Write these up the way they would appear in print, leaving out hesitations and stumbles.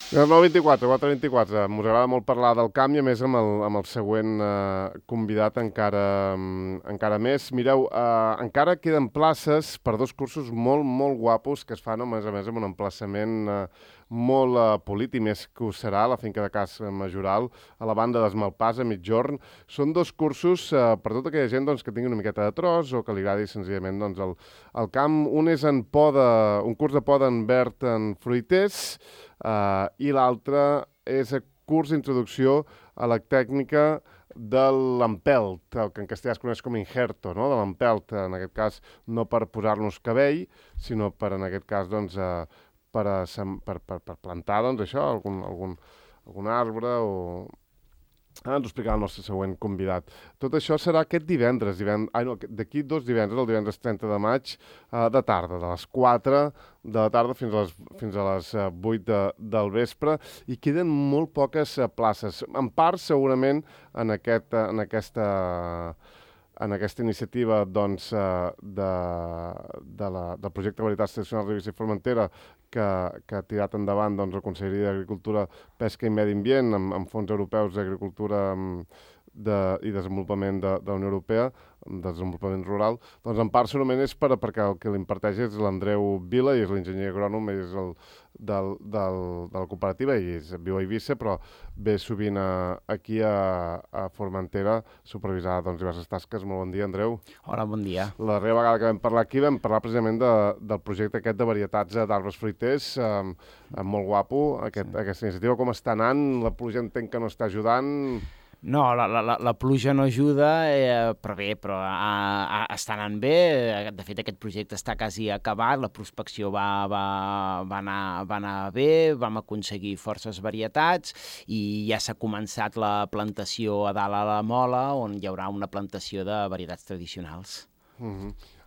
No, 24, 424. M'us agrada molt parlar del camp i, a més, amb el següent convidat encara més. Mireu, encara queden places per dos cursos molt, molt guapos que es fan, a més, amb un emplaçament molt polit, i més que ho serà a la finca de Cas Majoral, a la banda d'Esmalpàs, a Migjorn. Són dos cursos per tota aquella gent doncs, que tingui una miqueta de tros o que li agradi senzillament doncs, el camp. Un és un curs de poda en verd en fruiters, i l'altre és a curs d'introducció a la tècnica de l'empelt, el que en castellà es coneix com injerto, no? De l'empelt, en aquest cas no per posar-nos cabell, sinó per, en aquest cas, doncs, per plantar, doncs, això, algun arbre o... Ens ho explicarà el nostre següent convidat. Tot això serà aquest divendres, d'aquí 2 divendres, el divendres 30 de maig, de tarda, de les 4 de la tarda fins a les 8 del vespre, i queden molt poques places. En part, segurament, en aquesta iniciativa doncs, del projecte Varietats Tradicionals Ribes i Formentera, que ha tirat endavant doncs, la Conselleria d'Agricultura, Pesca i Medi Ambient amb fons europeus d'agricultura i desenvolupament de la Unió Europea, de desenvolupament rural, doncs en part segurament és perquè el que l'imparteix és l'Andreu Vila, i és l'enginyer agrònom, és de la cooperativa, i viu a Eivissa, però ve sovint aquí a Formentera a supervisar doncs, diverses tasques. Molt bon dia, Andreu. Hola, bon dia. La darrera vegada que vam parlar aquí vam parlar precisament del projecte aquest de varietats d'arbres fruiters, molt guapo, aquesta iniciativa. Com està anant? La pluja entenc que no està ajudant... No, la pluja no ajuda, però està anant bé. De fet, aquest projecte està quasi acabat, la prospecció va anar bé, vam aconseguir forces varietats i ja s'ha començat la plantació a dalt a la Mola, on hi haurà una plantació de varietats tradicionals.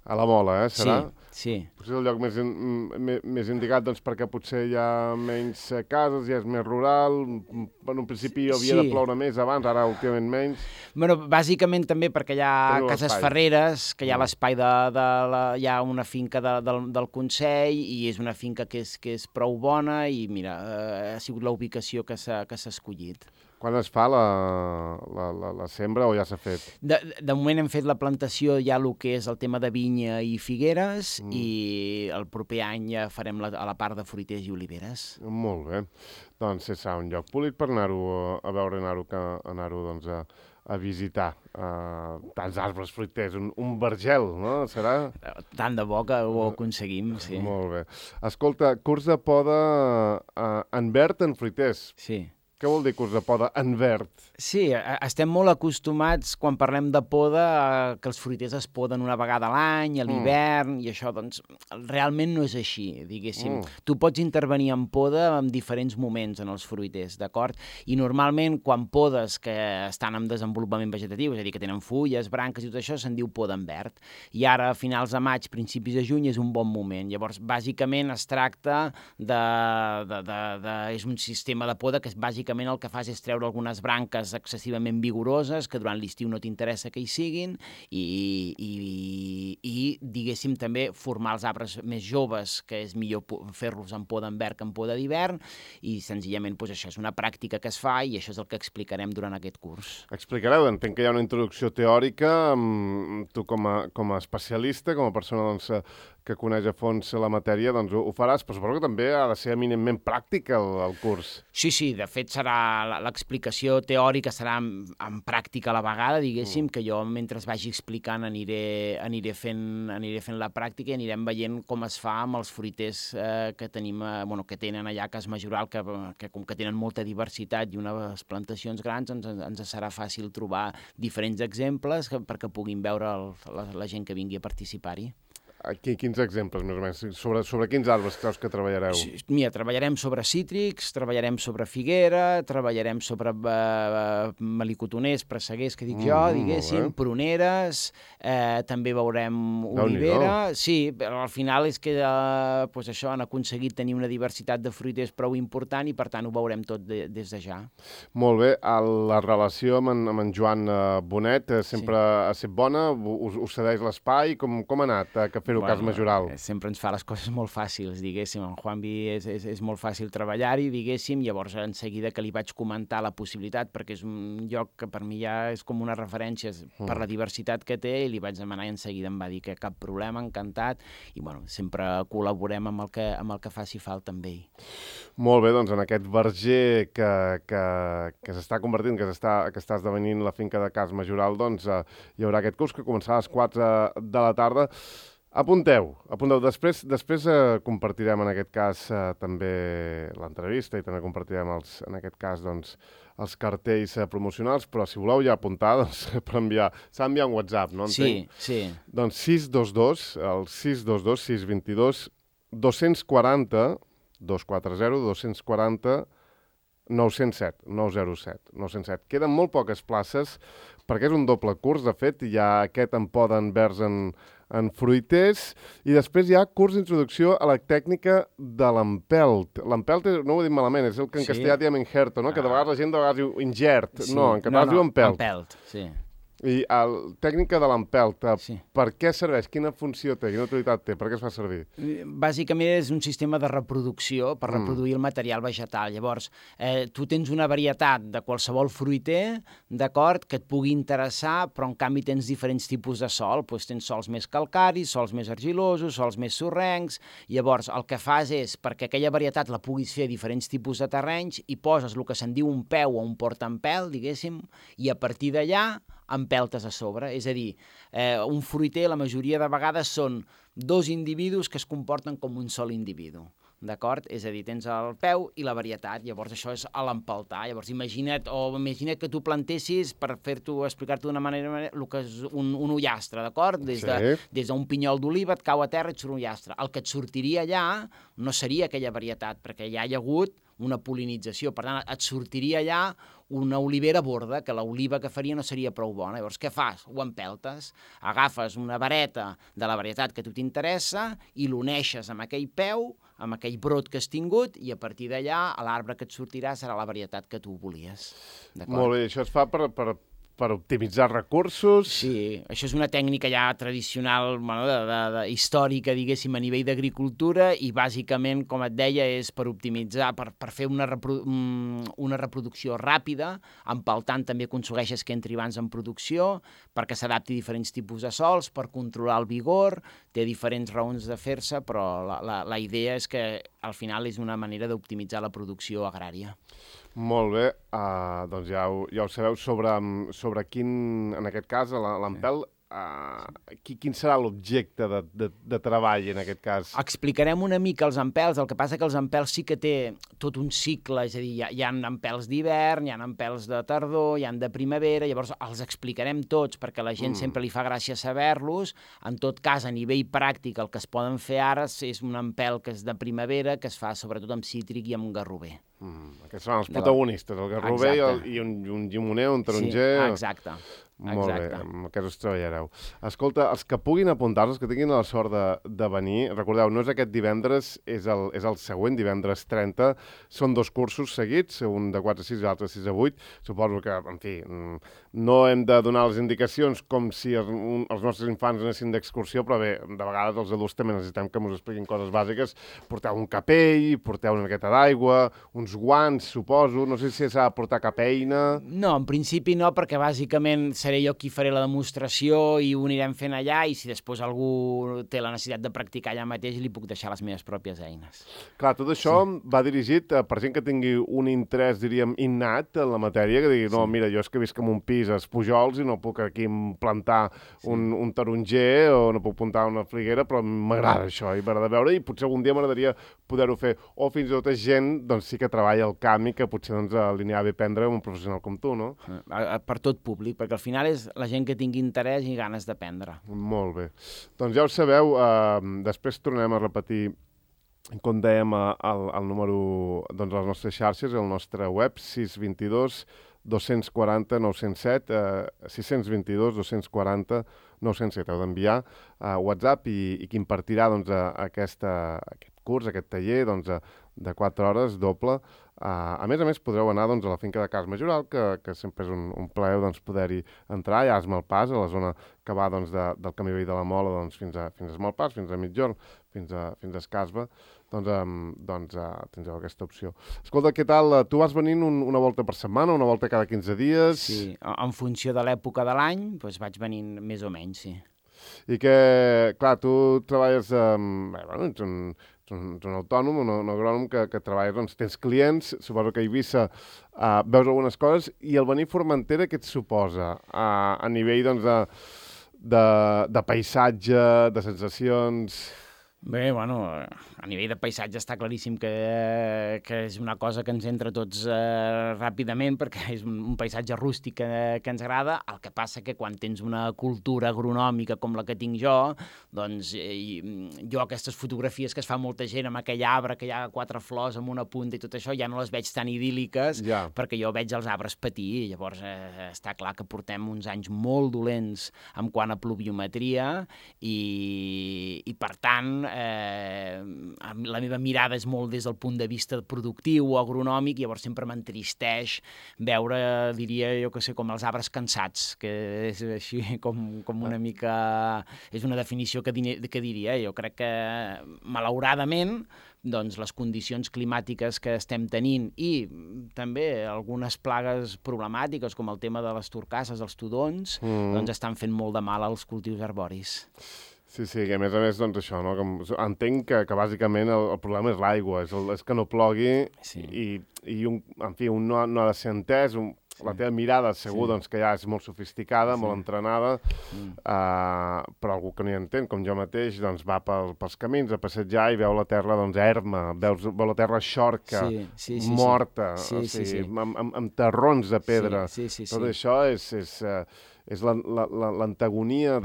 A la Mola, serà? Sí. Potser és el lloc més indicat, doncs, perquè potser hi ha menys cases, ja és més rural. En un principi havia de ploure més abans, ara últimament menys. Bueno, bàsicament també perquè hi ha cases ferreres, que hi ha l'espai hi ha una finca del Consell, i és una finca que és prou bona, i mira, ha sigut la ubicació que s'ha escollit. Quan es fa la sembra o ja s'ha fet? De moment hem fet la plantació, ja el que és el tema de vinya i figueres, i el proper any ja farem a la part de fruiters i oliveres. Molt bé. Doncs serà un lloc polit per anar-ho a veure, anar-ho doncs, a visitar. Tants arbres fruiters, un vergel, no? Serà? Tant de bo que ho aconseguim, sí. Molt bé. Escolta, curs de poda en verd en fruiters. Sí. Què vol dir curs de poda en verd? Sí, estem molt acostumats, quan parlem de poda, que els fruiters es poden una vegada a l'any, a l'hivern, i això, doncs, realment no és així, diguéssim. Tu pots intervenir en poda en diferents moments en els fruiters, d'acord? I normalment, quan podes que estan en desenvolupament vegetatiu, és a dir, que tenen fulles, branques i tot això, se'n diu poda en verd. I ara, a finals de maig, principis de juny, és un bon moment. Llavors, bàsicament, es tracta és un sistema de poda que bàsicament el que fas és treure algunes branques excessivament vigoroses que durant l'estiu no t'interessa que hi siguin, i diguéssim també formar els arbres més joves, que és millor fer-los en poda en verd que en poda d'hivern, i senzillament doncs, això és una pràctica que es fa, i això és el que explicarem durant aquest curs. Explicareu, entenc que hi ha una introducció teòrica, tu com a especialista, com a persona doncs, que coneix a fons la matèria, doncs ho faràs, però suposo que també ha de ser eminentment pràctic el curs. Sí, de fet serà l'explicació teòrica, serà en pràctica a la vegada, diguéssim, que jo mentre vagi explicant aniré fent la pràctica i anirem veient com es fa amb els fruiters que tenen allà a Cas Majoral, que com que tenen molta diversitat i unes plantacions grans, ens serà fàcil trobar diferents exemples perquè puguin veure la gent que vingui a participar-hi. Quins exemples, més o menys? Sobre quins arbres creus que treballareu? Mira, treballarem sobre cítrics, treballarem sobre figuera, treballarem sobre melicotoners, presseguers, que dic jo, diguéssim, pruneres, també veurem olivera. Sí, al final és que això han aconseguit tenir una diversitat de fruiters prou important, i per tant ho veurem tot des de ja. Molt bé. La relació amb en Joan Bonet sempre ha estat bona? Us cedeix l'espai? Com ha anat? Que fer-ho cas majoral. Sempre ens fa les coses molt fàcils, diguéssim. En Juanvi és molt fàcil treballar-hi, diguéssim, llavors en seguida que li vaig comentar la possibilitat, perquè és un lloc que per mi ja és com una referència per la diversitat que té, i li vaig demanar i en seguida em va dir que cap problema, encantat, i bueno, sempre col·laborem amb el que faci falta amb ell. Molt bé, doncs en aquest verger que s'està convertint, que està esdevenint la finca de Cas Majoral, doncs hi haurà aquest curs que començarà a les 4 de la tarda. Apunteu. Després compartirem en aquest cas també l'entrevista i també compartirem en aquest cas doncs, els cartells promocionals, però si voleu ja apuntar, doncs, s'ha d'enviar un WhatsApp, no? Entenc? Sí. Doncs 622 240 907. Queden molt poques places perquè és un doble curs, de fet, hi ha aquest en poda en verds en fruiters, i després hi ha curs d'introducció a la tècnica de l'empelt. L'empelt, no ho he dit malament, és el que en castellà diem injerto, no? Que de vegades la gent diu ingert. Sí. No, en català es diu empelt. Empelt, sí. I tècnica de l'empelt, per què serveix? Quina funció té? Quina utilitat té? Per què es fa servir? Bàsicament és un sistema de reproducció per reproduir el material vegetal. Llavors, tu tens una varietat de qualsevol fruiter, d'acord, que et pugui interessar, però en canvi tens diferents tipus de sòl. Doncs tens sòls més calcaris, sòls més argilosos, sòls més sorrencs. Llavors, el que fas és, perquè aquella varietat la puguis fer a diferents tipus de terrenys, i poses el que se'n diu un peu o un portaempelt, diguéssim, i a partir d'allà empeltes a sobre. És a dir, un fruiter la majoria de vegades són dos individus que es comporten com un sol individu. D'acord? És a dir, tens el peu i la varietat, llavors això és a l'empeltar. Llavors imagina't que tu plantessis, per explicar-t'ho d'una manera, el que és un ullastre, d'acord? Des d'un pinyol d'oliva et cau a terra i et surt un ullastre. El que et sortiria allà no seria aquella varietat, perquè ja hi ha hagut una pol·linització. Per tant, et sortiria allà una olivera borda, que l'oliva que faria no seria prou bona. Llavors, què fas? Ho empeltes. Agafes una vareta de la varietat que a tu t'interessa i l'uneixes amb aquell peu, amb aquell brot que has tingut, i a partir d'allà l'arbre que et sortirà serà la varietat que tu volies. Molt bé, això es fa per optimitzar recursos. Sí, això és una tècnica ja tradicional, històrica, diguéssim, a nivell d'agricultura, i bàsicament, com et deia, és per optimitzar, per fer una reproducció ràpida, empeltant també aconsegueixes que entri abans en producció, perquè s'adapti a diferents tipus de sòls, per controlar el vigor, té diferents raons de fer-se, però la idea és que al final és una manera d'optimitzar la producció agrària. Molt bé, doncs ja ho sabeu sobre quin, en aquest cas, l'empelt, quin serà l'objecte de treball en aquest cas? Explicarem una mica els empels, el que passa que els empels sí que té tot un cicle, és a dir, hi ha empels d'hivern, hi ha empels de tardor, hi ha de primavera, llavors els explicarem tots perquè a la gent sempre li fa gràcia saber-los. En tot cas, a nivell pràctic, el que es poden fer ara és un empelt que és de primavera, que es fa sobretot amb cítric i amb garrover. Aquests són els protagonistes, el garrover i un llimoner, un taronger... Exacte. Molt bé, amb aquests us treballareu. Escolta, els que puguin apuntar-se, els que tinguin la sort de venir, recordeu, no és aquest divendres, és el següent, divendres 30, són 2 cursos seguits, un de 4 a 6 i l'altre de 6 a 8. Suposo que, en fi, no hem de donar les indicacions com si els nostres infants anessin d'excursió, però bé, de vegades els adults també necessitem que ens expliquin coses bàsiques. Porteu un capell, porteu una miqueta d'aigua, uns guants, suposo, no sé si s'ha de portar cap eina... No, en principi no, perquè bàsicament seré jo qui faré la demostració i ho anirem fent allà, i si després algú té la necessitat de practicar allà mateix li puc deixar les meves pròpies eines. Clar, tot això va dirigit per gent que tingui un interès, diríem, innat en la matèria, que digui, no, mira, jo és que visc en un pis als Pujols i no puc aquí plantar un taronger o no puc plantar una figuera, però m'agrada això, i m'agrada veure, i potser algun dia m'agradaria poder-ho fer. O fins i tot gent, doncs sí que treballa al camp i que potser li anirà bé prendre un professional com tu, no? Per tot públic, perquè al final és la gent que tingui interès i ganes d'aprendre. Molt bé. Doncs ja ho sabeu, després tornarem a repetir, com dèiem, el número de les nostres xarxes, el nostre web, 622 240 907, 622 240 907. Heu d'enviar WhatsApp i qui impartirà aquest curs, aquest taller de 4 hores doble, A més, podreu anar doncs, a la finca de Cas Majoral, que sempre és un plaer doncs, poder-hi entrar, ja a Esmalpàs, a la zona que va doncs, del camí veí de la Mola doncs, fins a Esmalpàs, fins a Mitjorn, fins a Escasba, doncs tindreu aquesta opció. Escolta, què tal? Tu vas venint una volta per setmana, una volta cada 15 dies? Sí, en funció de l'època de l'any, doncs vaig venint més o menys, sí. I que, clar, tu treballes, ets un autònom, un agrònom que treballes, doncs tens clients, suposo que a Eivissa veus algunes coses, i el venir a Formentera què et suposa a nivell, doncs, de paisatge, de sensacions? Bé, bueno, a nivell de paisatge està claríssim que és una cosa que ens entra tots ràpidament, perquè és un paisatge rústic que ens agrada. El que passa que quan tens una cultura agronòmica com la que tinc jo, doncs jo aquestes fotografies que es fa molta gent amb aquell arbre que hi ha 4 flors amb una punta i tot això, ja no les veig tan idíl·liques, perquè jo veig els arbres patir. Llavors està clar que portem uns anys molt dolents en quant a pluviometria i per tant, la meva mirada és molt des del punt de vista productiu o agronòmic, i llavors sempre m'entristeix veure, diria jo que sé, com els arbres cansats, que és així com una mica... És una definició que diria. Jo crec que, malauradament, doncs les condicions climàtiques que estem tenint i també algunes plagues problemàtiques, com el tema de les torcasses, els tudons, doncs estan fent molt de mal als cultius arboris. Sí, que a més, doncs això, no? Entenc que bàsicament el problema és l'aigua, és que no plogui i en fi, un no ha de ser entès, la teva mirada segur doncs, que ja és molt sofisticada, molt entrenada, però algú que no hi entén, com jo mateix, doncs va pels camins a passejar i veu la terra doncs, erma, veu la terra xorca, morta, amb terrons de pedra. Tot això és l'antagonia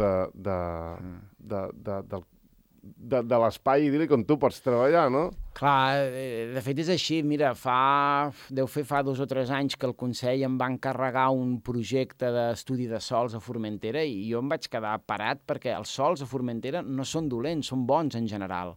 de l'espai idíl·lic on tu pots treballar, no? Clar, de fet és així. Mira, deu fer fa 2 o 3 anys que el Consell em va encarregar un projecte d'estudi de sòls a Formentera i jo em vaig quedar parat perquè els sòls a Formentera no són dolents, són bons en general.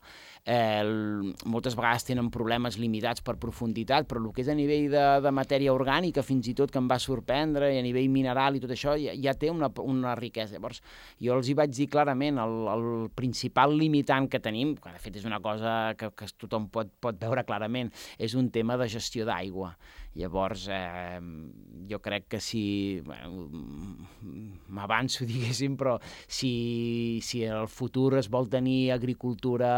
Moltes vegades tenen problemes limitats per profunditat, però el que és a nivell de matèria orgànica, fins i tot que em va sorprendre, i a nivell mineral i tot això, ja té una riquesa. Llavors, jo els hi vaig dir clarament, el principal limitant que tenim, que de fet és una cosa que tothom pot veure clarament, és un tema de gestió d'aigua. Llavors, jo crec que si... m'avanço, diguéssim, però si en el futur es vol tenir agricultura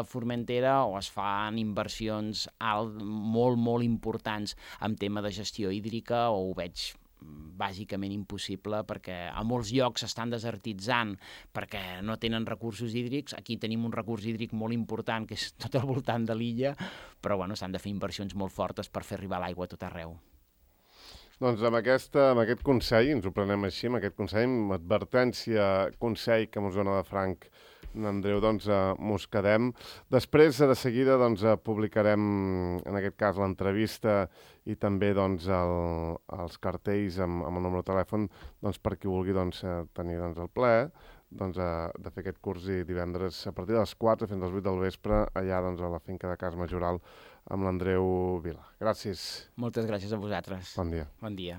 a Formentera o es fan inversions molt, molt importants en tema de gestió hídrica, o ho veig bàsicament impossible, perquè a molts llocs s'estan desertitzant perquè no tenen recursos hídrics. Aquí tenim un recurs hídric molt important, que és tot al voltant de l'illa, però s'han de fer inversions molt fortes per fer arribar l'aigua a tot arreu. Doncs amb aquest consell, ens ho prenem així, amb aquest consell, amb advertència, consell que mos dona de franc Andreu, doncs mos quedem. Després, de seguida, doncs publicarem, en aquest cas, l'entrevista i també doncs, els cartells amb el número de telèfon doncs, per qui vulgui doncs, tenir doncs, el plaer doncs, de fer aquest curs i divendres a partir de les 4 fins a les 8 del vespre allà doncs, a la finca de Cas Majoral amb l'Andreu Vila. Gràcies. Moltes gràcies a vosaltres. Bon dia. Bon dia.